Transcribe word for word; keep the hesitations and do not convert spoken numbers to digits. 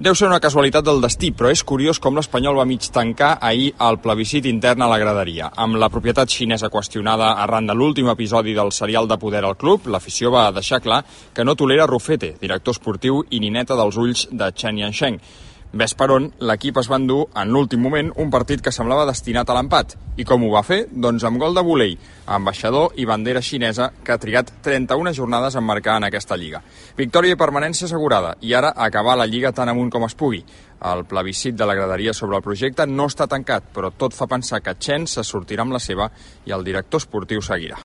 Deu ser una casualitat del destí, però és curiós com l'Espanyol va mig tancar ahir el plebiscit intern a la graderia. Amb la propietat xinesa qüestionada arran de l'últim episodi del serial de poder al club, l'afició va deixar clar que no tolera Rufete, director esportiu i nineta dels ulls de Chen Yansheng. Ves per on, l'equip es va endur, en l'últim moment, un partit que semblava destinat a l'empat. I com ho va fer? Doncs amb gol de volei, ambaixador i bandera xinesa, que ha trigat trenta-una jornades en marcar en aquesta lliga. Victòria i permanència assegurada, i ara acabar la lliga tan amunt com es pugui. El plebiscit de la graderia sobre el projecte no està tancat, però tot fa pensar que Chen se sortirà amb la seva i el director esportiu seguirà.